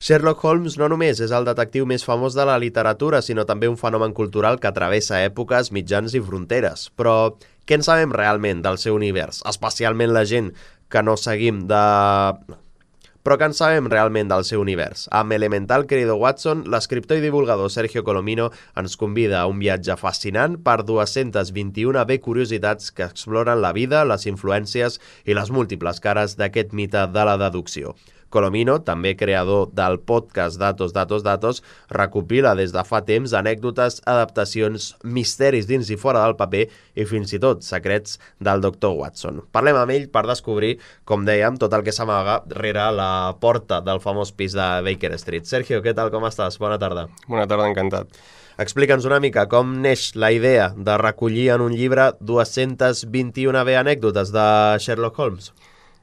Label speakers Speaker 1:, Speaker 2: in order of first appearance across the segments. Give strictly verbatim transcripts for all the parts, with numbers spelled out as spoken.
Speaker 1: Sherlock Holmes no només és el detectiu més famós de la literatura, sinó també un fenomen cultural que travessa èpoques, mitjans i fronteres. Però què en sabem realment del seu univers? Especialment la gent que no seguim de... Però què en sabem realment del seu univers? Amb Elemental, querido Watson, l'escriptor i divulgador Sergio Colomino ens convida a un viatge fascinant per dues-centes vint-i-una bé curiositats que exploren la vida, les influències i les múltiples cares d'aquest mite de la deducció. Colomino, també creador del podcast Datos, Datos, Datos, recopila des de fa temps anècdotes, adaptacions, misteris dins i fora del paper i fins i tot secrets del doctor Watson. Parlem amb ell per descobrir, com dèiem, tot el que s'amaga rere la porta del famós pis de Baker Street. Sergio, què tal, com estàs? Bona tarda.
Speaker 2: Bona tarda, encantat.
Speaker 1: Explica'ns una mica com neix la idea de recollir en un llibre dues-centes vint-i-una bé anècdotes de Sherlock Holmes.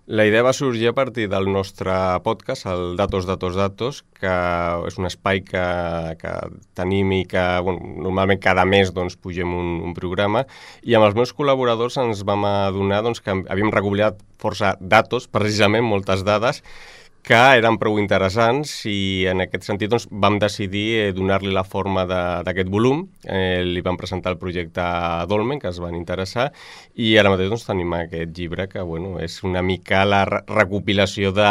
Speaker 2: La idea va sorgir a partir del nostre podcast, el Datos, Datos, Datos, que és un espai que, que tenim i que bueno, normalment cada mes doncs, pugem un, un programa, i amb els meus col·laboradors ens vam adonar doncs, que havíem recollit força datos, precisament moltes dades, que eren prou interessants i en aquest sentit doncs, vam decidir eh, donar-li la forma d'aquest volum. Eh, li vam presentar el projecte a Dolmen, que es van interessar, i ara mateix doncs, tenim aquest llibre que bueno, és una mica la recopilació de,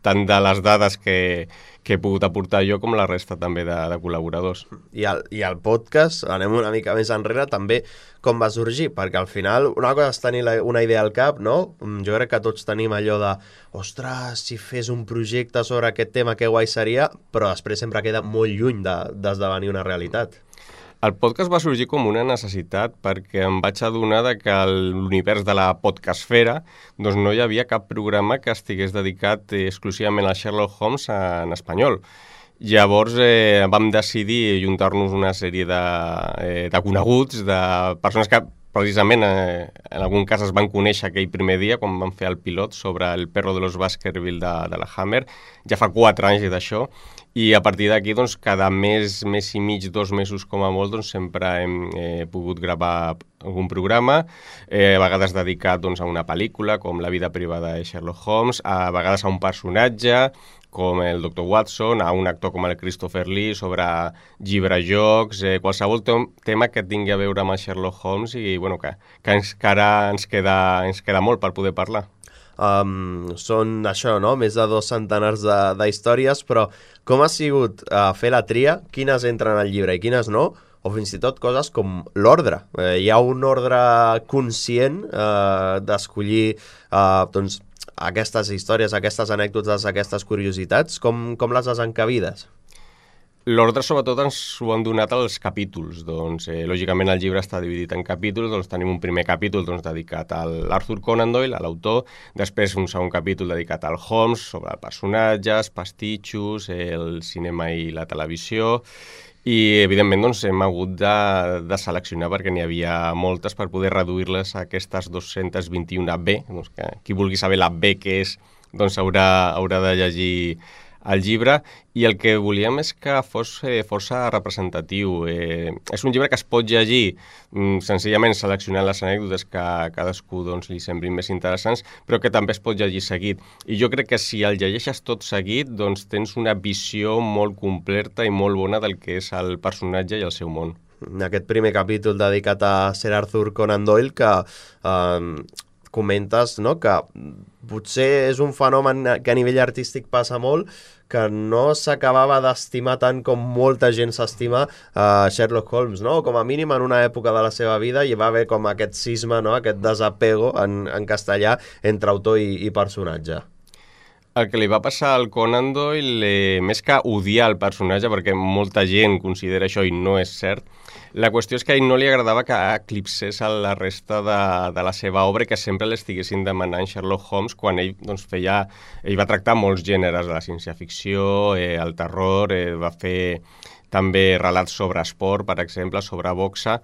Speaker 2: tant de les dades que, que he pogut aportar jo com la resta també de, de col·laboradors.
Speaker 1: I el, I el podcast, anem una mica més enrere, també com va sorgir, perquè al final una cosa és tenir la, una idea al cap, no? Jo crec que tots tenim allò de ostres, si fes un projecte sobre aquest tema, que guai seria, però després sempre queda molt lluny d'esdevenir una realitat.
Speaker 2: El podcast va sorgir com una necessitat perquè em vaig adonar de que a l'univers de la podcastfera doncs no hi havia cap programa que estigués dedicat exclusivament a Sherlock Holmes en espanyol. Llavors eh, vam decidir juntar-nos una sèrie de, eh, de coneguts, de persones que precisament eh, en algun cas es van conèixer aquell primer dia quan vam fer el pilot sobre el perro de los Baskerville de, de la Hammer. Ja fa quatre anys d'això. I a partir d'aquí, doncs, cada mes, mes i mig, dos mesos com a molt, doncs, sempre hem eh, pogut gravar algun programa, eh, a vegades dedicat doncs, a una pel·lícula, com La vida privada de Sherlock Holmes, a vegades a un personatge, com el doctor Watson, a un actor com el Christopher Lee, sobre llibre-jocs, eh, qualsevol tema que tingui a veure amb el Sherlock Holmes i bueno, que, que encara ens queda, ens queda molt per poder parlar.
Speaker 1: Um, són això, no? Més de dos centenars d'històries, però com ha sigut uh, fer la tria? Quines entren al llibre i quines no? O fins i tot coses com l'ordre. Eh, hi ha un ordre conscient uh, d'escollir uh, doncs, aquestes històries, aquestes anècdotes, aquestes curiositats. Com, com les has encabides?
Speaker 2: L'ordre, sobretot, ens ho han donat els capítols. Doncs, eh, lògicament, el llibre està dividit en capítols. Doncs, tenim un primer capítol doncs, dedicat a l'Arthur Conan Doyle, a l'autor. Després, un segon capítol dedicat al Holmes, sobre personatges, pastitxos, eh, el cinema i la televisió. I, evidentment, doncs, hem hagut de, de seleccionar perquè n'hi havia moltes per poder reduir-les a aquestes dues-centes vint-i-una bé. Doncs, que qui vulgui saber la B que és, doncs haurà, haurà de llegir el llibre, i el que volíem és que fos eh, força representatiu. Eh, és un llibre que es pot llegir mm, senzillament seleccionant les anècdotes que a cadascú doncs, li semblin més interessants, però que també es pot llegir seguit. I jo crec que si el llegeixes tot seguit, doncs tens una visió molt completa i molt bona del que és el personatge i el seu món.
Speaker 1: Aquest primer capítol dedicat a Sir Arthur Conan Doyle, que eh, comentes, no?, que potser és un fenomen que a nivell artístic passa molt, que no s'acabava d'estimar tant com molta gent s'estima uh, Sherlock Holmes, no? Com a mínim en una època de la seva vida hi va haver com aquest cisma, no? Aquest desapego en, en castellà entre autor i, i personatge.
Speaker 2: El que li va passar al Conan Doyle, eh, més que odiar el personatge, perquè molta gent considera això i no és cert, la qüestió és que a ell no li agradava que eclipsés a la resta de, de la seva obra i que sempre l'estiguessin demanant Sherlock Holmes quan ell doncs, feia... Ell va tractar molts gèneres de la ciència-ficció, eh, el terror, eh, va fer també relats sobre esport, per exemple, sobre boxa.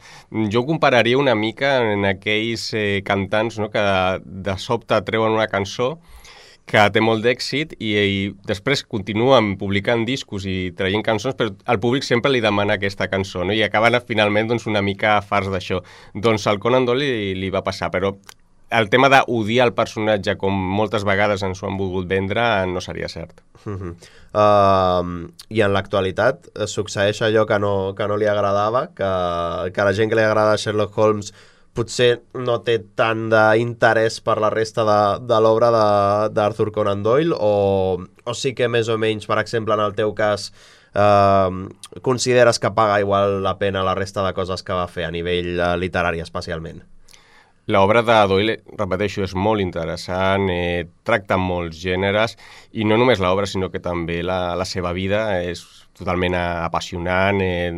Speaker 2: Jo ho compararia una mica en aquells eh, cantants, no?, que de, de sobte treuen una cançó que té molt d'èxit i, i després continuen publicant discos i traient cançons, però el públic sempre li demana aquesta cançó, no? I acaben finalment doncs, una mica farts d'això. Doncs al Conan Doyle li, li va passar, però el tema d'odiar el personatge, com moltes vegades ens ho han volgut vendre, no seria cert.
Speaker 1: Uh -huh. uh, I en l'actualitat succeeix allò que no, que no li agradava, que, que la gent que li agrada Sherlock Holmes potser no té tant d'interès per la resta de, de l'obra d'Arthur Conan Doyle, o, o sí que més o menys, per exemple, en el teu cas, eh, consideres que paga igual la pena la resta de coses que va fer a nivell eh, literari especialment?
Speaker 2: L'obra de Doyle, repeteixo, és molt interessant, eh, tracta molts gèneres, i no només l'obra, sinó que també la, la seva vida és totalment apassionant, eh,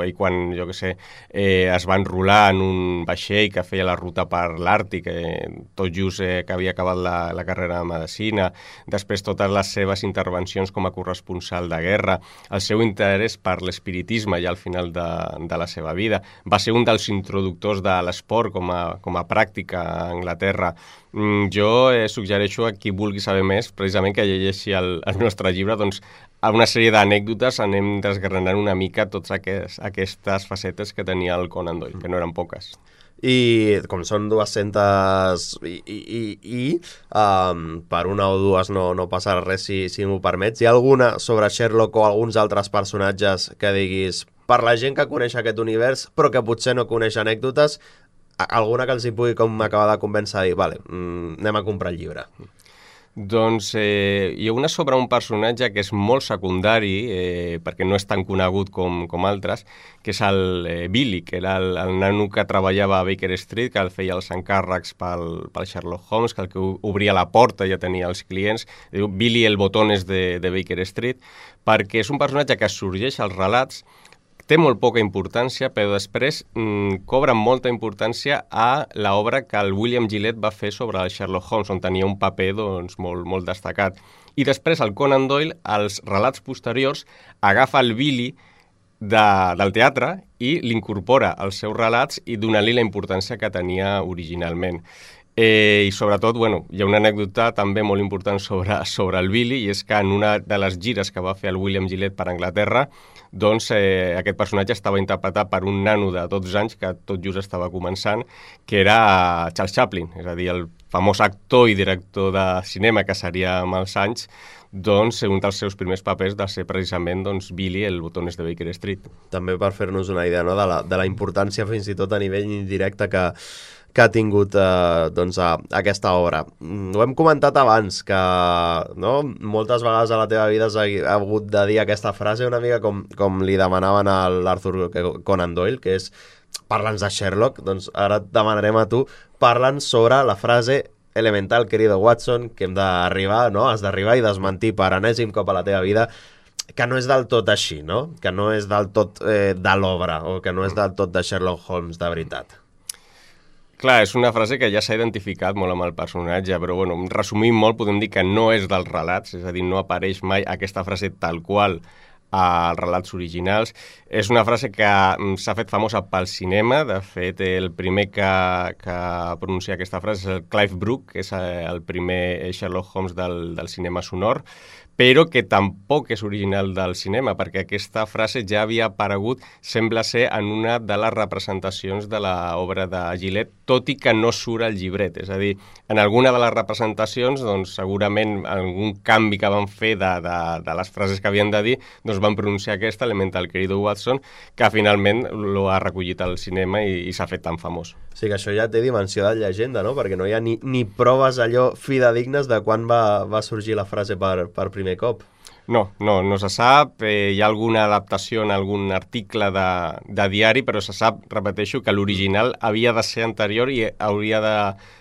Speaker 2: i quan, jo què sé, eh, es va enrolar en un vaixell que feia la ruta per l'Àrtic, eh, tot just eh, que havia acabat la, la carrera de Medicina, després totes les seves intervencions com a corresponsal de guerra, el seu interès per l'espiritisme ja al final de, de la seva vida, va ser un dels introductors de l'esport com a, com a pràctica a Anglaterra. Mm, jo eh, suggereixo a qui vulgui saber més, precisament que llegeixi el, el nostre llibre, doncs a una sèrie d'anècdotes anem desgranant una mica totes aquest, aquestes facetes que tenia el Conan Doyle, que no eren poques.
Speaker 1: I com són dues-centes i, i, i, i um, per una o dues no, no passarà res si, si m'ho permets, hi ha alguna sobre Sherlock o alguns altres personatges que diguis, per la gent que coneix aquest univers però que potser no coneix anècdotes, alguna que els hi pugui com acabar de convèncer a dir, vale, mm, anem a comprar el llibre?
Speaker 2: Doncs eh, hi ha una sobre un personatge que és molt secundari, eh, perquè no és tan conegut com, com altres, que és el eh, Billy, que era el, el nano que treballava a Baker Street, que el feia els encàrrecs pel, pel Sherlock Holmes, que el que obria la porta ja tenia els clients. Diu Billy el botones de, de Baker Street, perquè és un personatge que sorgeix als relats, té molt poca importància, però després mmm, cobra molta importància a l'obra que el William Gillette va fer sobre el Sherlock Holmes, on tenia un paper doncs, molt, molt destacat. I després el Conan Doyle, als relats posteriors, agafa el Billy de, del teatre i l'incorpora als seus relats i dona-li la importància que tenia originalment. Eh, I sobretot, bueno, hi ha una anècdota també molt important sobre, sobre el Billy, i és que en una de les gires que va fer el William Gillette per Anglaterra, doncs eh, aquest personatge estava interpretat per un nano de dotze anys que tot just estava començant, que era Charles Chaplin, és a dir, el famós actor i director de cinema que seria amb els anys, doncs un dels seus primers papers de ser precisament doncs, Billy, el botones de Baker Street.
Speaker 1: També per fer-nos una idea, no?, de la, de la importància fins i tot a nivell indirecte que que ha tingut eh, doncs, a, aquesta obra. Ho hem comentat abans, que no, moltes vegades a la teva vida has hagut de dir aquesta frase una mica com, com li demanaven a l'Arthur Conan Doyle, que és parla'ns de Sherlock, doncs ara et demanarem a tu, parla'ns sobre la frase elemental, querido Watson, que hem d'arribar, no? Has d'arribar i desmentir per enèsim cop a la teva vida, que no és del tot així, no? Que no és del tot eh, de l'obra, o que no és del tot de Sherlock Holmes de veritat.
Speaker 2: Clar, és una frase que ja s'ha identificat molt amb el personatge, però bueno, resumint molt podem dir que no és dels relats, és a dir, no apareix mai aquesta frase tal qual als relats originals. És una frase que s'ha fet famosa pel cinema, de fet el primer que, que pronuncia aquesta frase és el Clive Brook, que és el primer Sherlock Holmes del, del cinema sonor, però que tampoc és original del cinema, perquè aquesta frase ja havia aparegut, sembla ser, en una de les representacions de l'obra de Gillette, tot i que no surt al llibret. És a dir, en alguna de les representacions, doncs, segurament algun canvi que van fer de, de, de les frases que havien de dir, doncs van pronunciar aquesta, elemental querido Watson, que finalment lo ha recollit al cinema i, i s'ha fet tan famós.
Speaker 1: O sigui que això ja té dimensió de llegenda, no? Perquè no hi ha ni, ni proves allò fidedignes de quan va, va sorgir la frase per, per primer cop.
Speaker 2: No, no, no se sap. Eh, hi ha alguna adaptació en algun article de, de diari, però se sap, repeteixo, que l'original havia de ser anterior i hauria de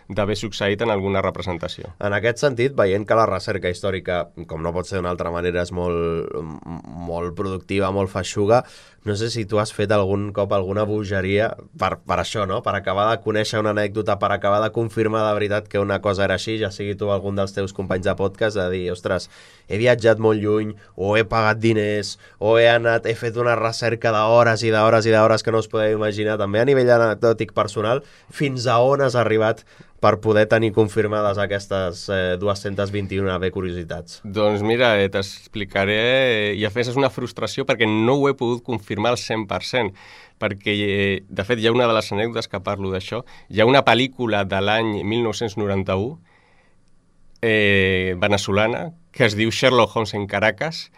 Speaker 2: d'haver succeït en alguna representació.
Speaker 1: En aquest sentit, veient que la recerca històrica, com no pot ser d'una altra manera, és molt, molt productiva, molt feixuga, no sé si tu has fet algun cop alguna bogeria per, per això, no? Per acabar de conèixer una anècdota, per acabar de confirmar de veritat que una cosa era així, ja sigui tu algun dels teus companys de podcast, de dir, ostres, he viatjat molt lluny, o he pagat diners, o he anat, he fet una recerca d'hores i d'hores i d'hores que no us podeu imaginar, també a nivell anecdòtic personal, fins a on has arribat per poder tenir confirmades aquestes eh, dos-centes vint-i-una B curiositats?
Speaker 2: Doncs mira, eh, t'explicaré, eh, i a més és una frustració perquè no ho he pogut confirmar al cent per cent, perquè, eh, de fet, hi ha una de les anècdotes que parlo d'això. Hi ha una pel·lícula de l'any mil nou-cents noranta-u, eh, venezolana, que es diu Sherlock Holmes en Caracas,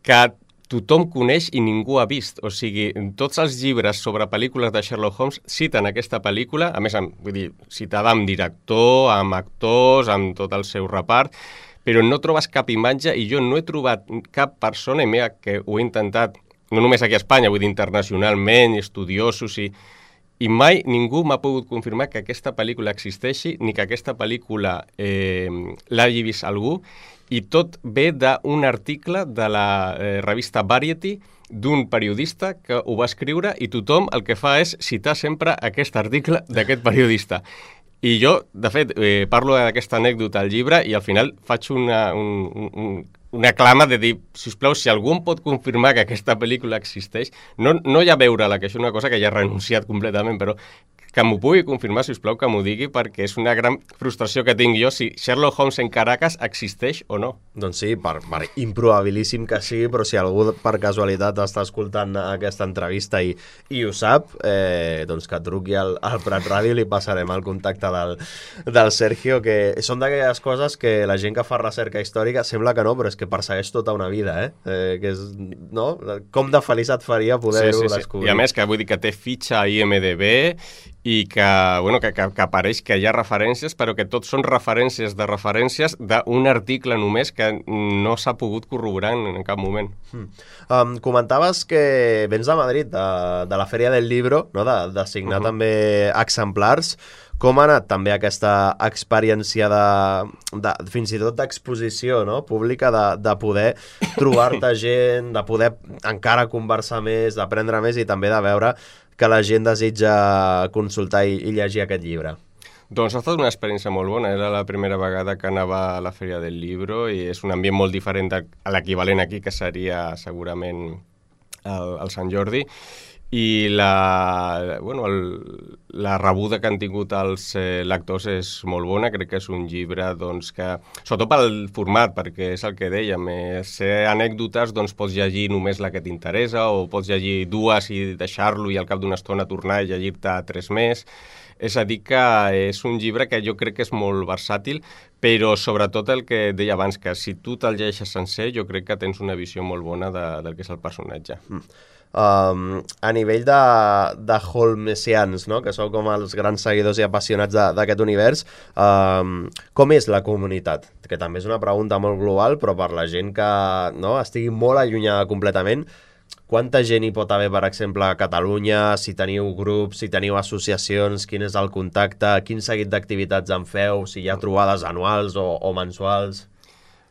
Speaker 2: que tothom coneix i ningú ha vist. O sigui, tots els llibres sobre pel·lícules de Sherlock Holmes citen aquesta pel·lícula, a més, amb, vull dir, citada amb director, amb actors, amb tot el seu repart, però no trobes cap imatge i jo no he trobat cap persona, i mira que ho he intentat, no només aquí a Espanya, vull dir internacionalment, estudiosos, i, i mai ningú m'ha pogut confirmar que aquesta pel·lícula existeixi ni que aquesta pel·lícula eh, l'hagi vist algú, i tot ve d'un article de la eh, revista Variety d'un periodista que ho va escriure i tothom el que fa és citar sempre aquest article d'aquest periodista. I jo, de fet, eh, parlo d'aquesta anècdota al llibre i al final faig una, un, un, una clama de dir, sisplau, si algú em pot confirmar que aquesta pel·lícula existeix, no, no ja veure-la, que és una cosa que ja he renunciat completament, però que m'ho pugui confirmar, sisplau, que m'ho digui, perquè és una gran frustració que tinc jo si Sherlock Holmes en Caracas existeix o no.
Speaker 1: Doncs sí, per, per improbabilíssim que sigui, però si algú per casualitat està escoltant aquesta entrevista i, i ho sap, eh, doncs que truqui al, al Prat Ràdio i li passarem el contacte del, del Sergio, que són d'aquelles coses que la gent que fa recerca històrica sembla que no, però és que persegueix tota una vida, eh? eh que és, no? Com de feliç et faria poder-ho
Speaker 2: sí, sí, sí.
Speaker 1: descobrir.
Speaker 2: I a més, que vull dir que té fitxa a I M D B i que, bueno, que, que, que apareix que hi ha referències, però que tots són referències de referències d'un article només que no s'ha pogut corroborar en, en cap moment.
Speaker 1: Mm. Um, comentaves que vens de Madrid, de, de la Fèria del Libro, no? de, de signar uh -huh. també exemplars. Com ha anat també aquesta experiència de, de fins i tot d'exposició, no? Pública, de, de poder trobar-te gent, de poder encara conversar més, d'aprendre més i també de veure que la gent desitja consultar i, i llegir aquest llibre?
Speaker 2: Doncs ha estat una experiència molt bona. Era la primera vegada que anava a la Fèria del Libro i és un ambient molt diferent a l'equivalent aquí, que seria segurament el, el Sant Jordi. I la, bueno, el, la rebuda que han tingut els eh, lectors és molt bona. Crec que és un llibre doncs, que, sobretot pel format, perquè és el que dèiem, eh, ser anècdotes, doncs pots llegir només la que t'interessa o pots llegir dues i deixar-lo i al cap d'una estona tornar i llegir-te tres més. És a dir que és un llibre que jo crec que és molt versàtil, però sobretot el que deia abans, que si tu te'l llegeixes sencer, jo crec que tens una visió molt bona de, del que és el personatge.
Speaker 1: Mm. Um, a nivell de, de holmesians, no? Que sou com els grans seguidors i apassionats d'aquest univers, um, com és la comunitat? Que també és una pregunta molt global, però per la gent que no, estigui molt allunyada completament, quanta gent hi pot haver, per exemple, a Catalunya? Si teniu grups, si teniu associacions, quin és el contacte, quin seguit d'activitats en feu, si hi ha trobades anuals o, o mensuals?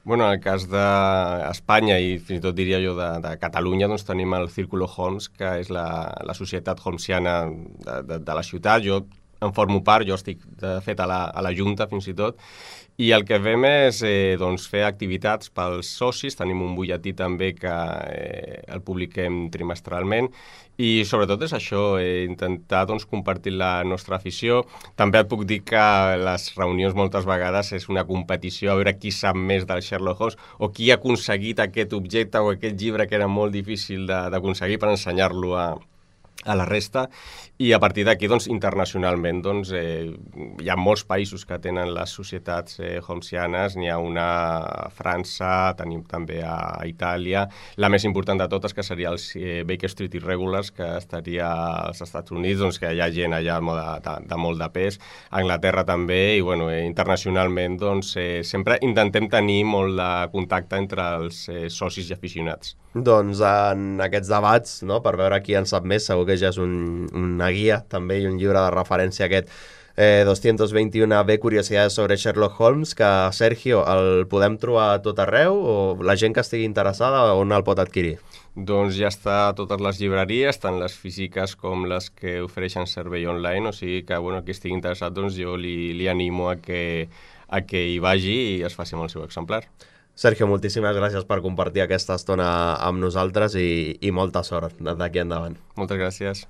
Speaker 2: Bueno, en el cas d'Espanya i fins i tot diria jo de, de Catalunya, doncs tenim el Círculo Holmes, que és la, la societat holmesiana de, de, de la ciutat. Jo en formo part, jo estic de fet a la, a la Junta fins i tot, i el que fem és eh, doncs, fer activitats pels socis. Tenim un butlletí també que eh, el publiquem trimestralment i sobretot és això, eh, intentar doncs, compartir la nostra afició. També et puc dir que les reunions moltes vegades és una competició a veure qui sap més del Sherlock Holmes o qui ha aconseguit aquest objecte o aquest llibre que era molt difícil d'aconseguir per ensenyar-lo a a la resta, i a partir d'aquí, doncs, internacionalment, doncs, eh, hi ha molts països que tenen les societats eh, holmesianes, n'hi ha una a França, tenim també a Itàlia, la més important de totes, que seria els eh, Baker Street Irregulars, que estaria als Estats Units, doncs, que hi ha gent allà de, de, de molt de pes, a Anglaterra també, i bueno, eh, internacionalment, doncs, eh, sempre intentem tenir molt de contacte entre els eh, socis i aficionats.
Speaker 1: Doncs en aquests debats, no, per veure qui en sap més, segur que ja és un, una guia també i un llibre de referència aquest eh, dos-centes vint-i-una B Curiosidades sobre Sherlock Holmes, que Sergio, el podem trobar a tot arreu o la gent que estigui interessada on el pot adquirir?
Speaker 2: Doncs ja està a totes les llibreries, tant les físiques com les que ofereixen servei online, o sigui que bueno, qui estigui interessat doncs jo li, li animo a que, a que hi vagi i es faci amb el seu exemplar.
Speaker 1: Sergio, moltíssimes gràcies per compartir aquesta estona amb nosaltres i, i molta sort d'aquí endavant.
Speaker 2: Moltes gràcies.